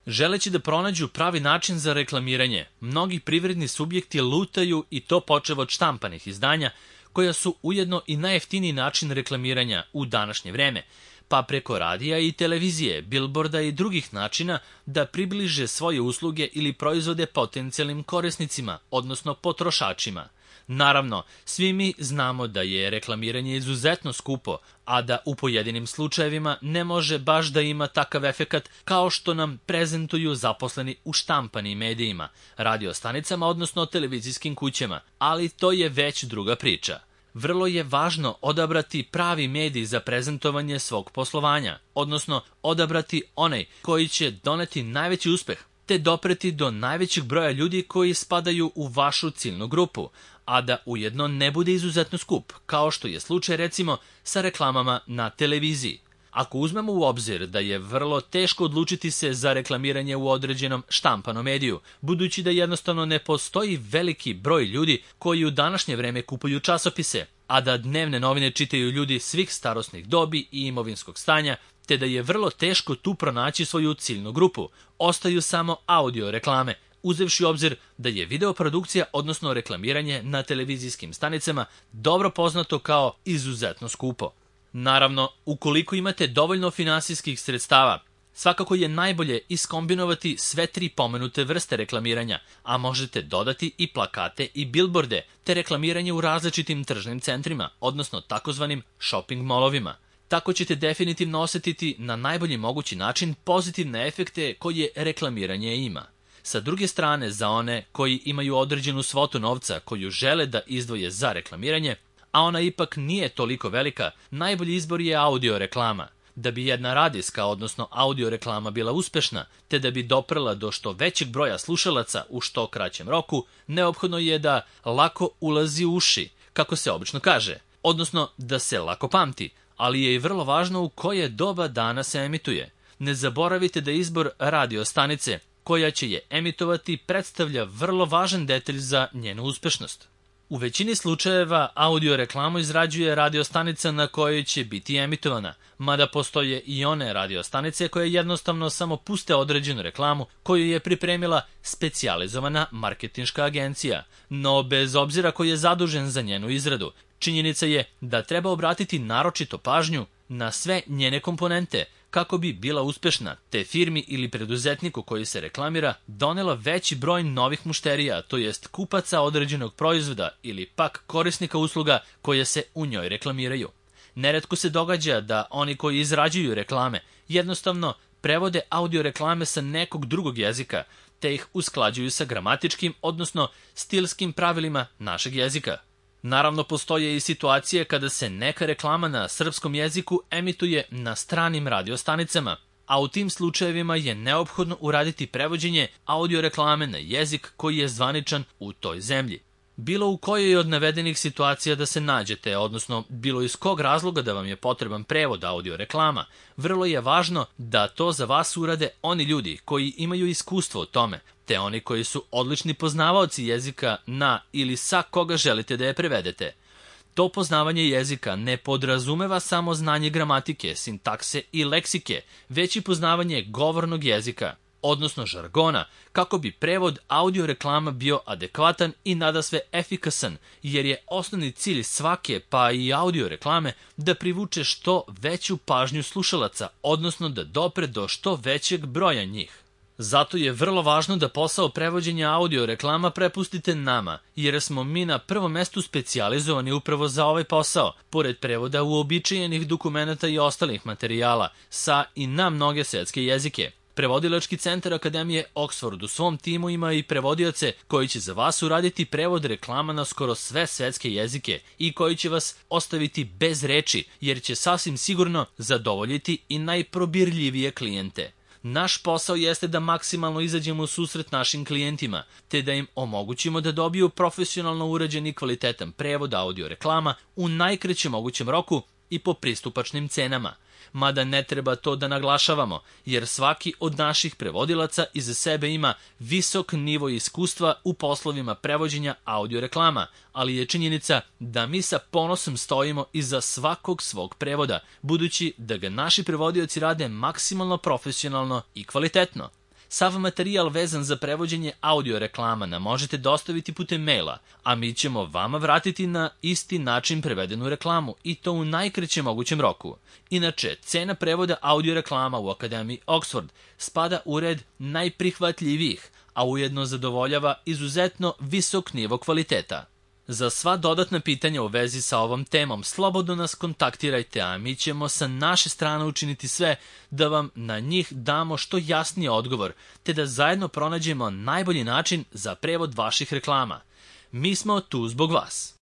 Želeći da pronađu pravi način za reklamiranje, mnogi privredni subjekti lutaju i to počev od štampanih izdanja, koja su ujedno i najjeftiniji način reklamiranja u današnje vreme, pa preko radija i televizije, bilborda i drugih načina da približe svoje usluge ili proizvode potencijalnim korisnicima, odnosno potrošačima. Naravno, svi mi znamo da je reklamiranje izuzetno skupo, a da u pojedinim slučajevima ne može baš da ima takav efekat kao što nam prezentuju zaposleni u štampanim medijima, radiostanicama, odnosno televizijskim kućama, ali to je već druga priča. Vrlo je važno odabrati pravi medij za prezentovanje svog poslovanja, odnosno odabrati onaj koji će doneti najveći uspeh, te dopreti do najvećeg broja ljudi koji spadaju u vašu ciljnu grupu, a da ujedno ne bude izuzetno skup, kao što je slučaj recimo sa reklamama na televiziji. Ako uzmemo u obzir da je vrlo teško odlučiti se za reklamiranje u određenom štampanom mediju, budući da jednostavno ne postoji veliki broj ljudi koji u današnje vreme kupuju časopise, a da dnevne novine čitaju ljudi svih starosnih dobi i imovinskog stanja, te da je vrlo teško tu pronaći svoju ciljnu grupu, ostaju samo audio reklame, uzevši u obzir da je videoprodukcija, odnosno reklamiranje na televizijskim stanicama, dobro poznato kao izuzetno skupo. Naravno, ukoliko imate dovoljno finansijskih sredstava, svakako je najbolje iskombinovati sve tri pomenute vrste reklamiranja, a možete dodati i plakate i bilborde, te reklamiranje u različitim tržnim centrima, odnosno takozvanim shopping molovima. Tako ćete definitivno osetiti na najbolji mogući način pozitivne efekte koje reklamiranje ima. Sa druge strane, za one koji imaju određenu svotu novca koju žele da izdvoje za reklamiranje, a ona ipak nije toliko velika, najbolji izbor je audio reklama. Da bi jedna radijska, odnosno audio reklama bila uspešna, te da bi doprela do što većeg broja slušalaca u što kraćem roku, neophodno je da lako ulazi u uši, kako se obično kaže, odnosno da se lako pamti, ali je i vrlo važno u koje doba dana se emituje. Ne zaboravite da izbor radio stanice koja će je emitovati predstavlja vrlo važan detalj za njenu uspešnost. U većini slučajeva audio reklamu izrađuje radiostanica na kojoj će biti emitovana, mada postoje i one radiostanice koje jednostavno samo puste određenu reklamu koju je pripremila specijalizovana marketinška agencija, no bez obzira ko je zadužen za njenu izradu, činjenica je da treba obratiti naročito pažnju na sve njene komponente kako bi bila uspešna, te firmi ili preduzetniku koji se reklamira donela veći broj novih mušterija, to jest kupaca određenog proizvoda ili pak korisnika usluga koje se u njoj reklamiraju. Neretko se događa da oni koji izrađuju reklame jednostavno prevode audio reklame sa nekog drugog jezika, te ih usklađuju sa gramatičkim, odnosno stilskim pravilima našeg jezika. Naravno, postoje i situacije kada se neka reklama na srpskom jeziku emituje na stranim radiostanicama, a u tim slučajevima je neophodno uraditi prevođenje audio reklame na jezik koji je zvaničan u toj zemlji. Bilo u kojoj od navedenih situacija da se nađete, odnosno bilo iz kog razloga da vam je potreban prevod audio reklama, vrlo je važno da to za vas urade oni ljudi koji imaju iskustvo u tome, te oni koji su odlični poznavaoci jezika na ili sa koga želite da je prevedete. To poznavanje jezika ne podrazumeva samo znanje gramatike, sintakse i leksike, već i poznavanje govornog jezika, odnosno žargona, kako bi prevod audio reklama bio adekvatan i nadasve efikasan, jer je osnovni cilj svake, pa i audio reklame, da privuče što veću pažnju slušalaca, odnosno da dopre do što većeg broja njih. Zato je vrlo važno da posao prevođenja audio reklama prepustite nama, jer smo mi na prvom mestu specijalizovani upravo za ovaj posao, pored prevoda uobičajenih dokumenata i ostalih materijala, sa i na mnoge svetske jezike. Prevodilački centar Akademije Oxford u svom timu ima i prevodioce koji će za vas uraditi prevod reklama na skoro sve svetske jezike i koji će vas ostaviti bez reči, jer će sasvim sigurno zadovoljiti i najprobirljivije klijente. Naš posao jeste da maksimalno izađemo u susret našim klijentima, te da im omogućimo da dobiju profesionalno urađen i kvalitetan prevod audio reklama u najkraćem mogućem roku i po pristupačnim cenama. Mada ne treba to da naglašavamo, jer svaki od naših prevodilaca iza sebe ima visok nivo iskustva u poslovima prevođenja audio reklama, ali je činjenica da mi sa ponosom stojimo iza svakog svog prevoda, budući da ga naši prevodioci rade maksimalno profesionalno i kvalitetno. Sav materijal vezan za prevođenje audio reklama nam možete dostaviti putem maila, a mi ćemo vama vratiti na isti način prevedenu reklamu i to u najkraćem mogućem roku. Inače, cena prevoda audio reklama u Akademiji Oxford spada u red najprihvatljivijih, a ujedno zadovoljava izuzetno visok nivo kvaliteta. Za sva dodatna pitanja u vezi sa ovom temom slobodno nas kontaktirajte, a mi ćemo sa naše strane učiniti sve da vam na njih damo što jasniji odgovor, te da zajedno pronađemo najbolji način za prevod vaših reklama. Mi smo tu zbog vas.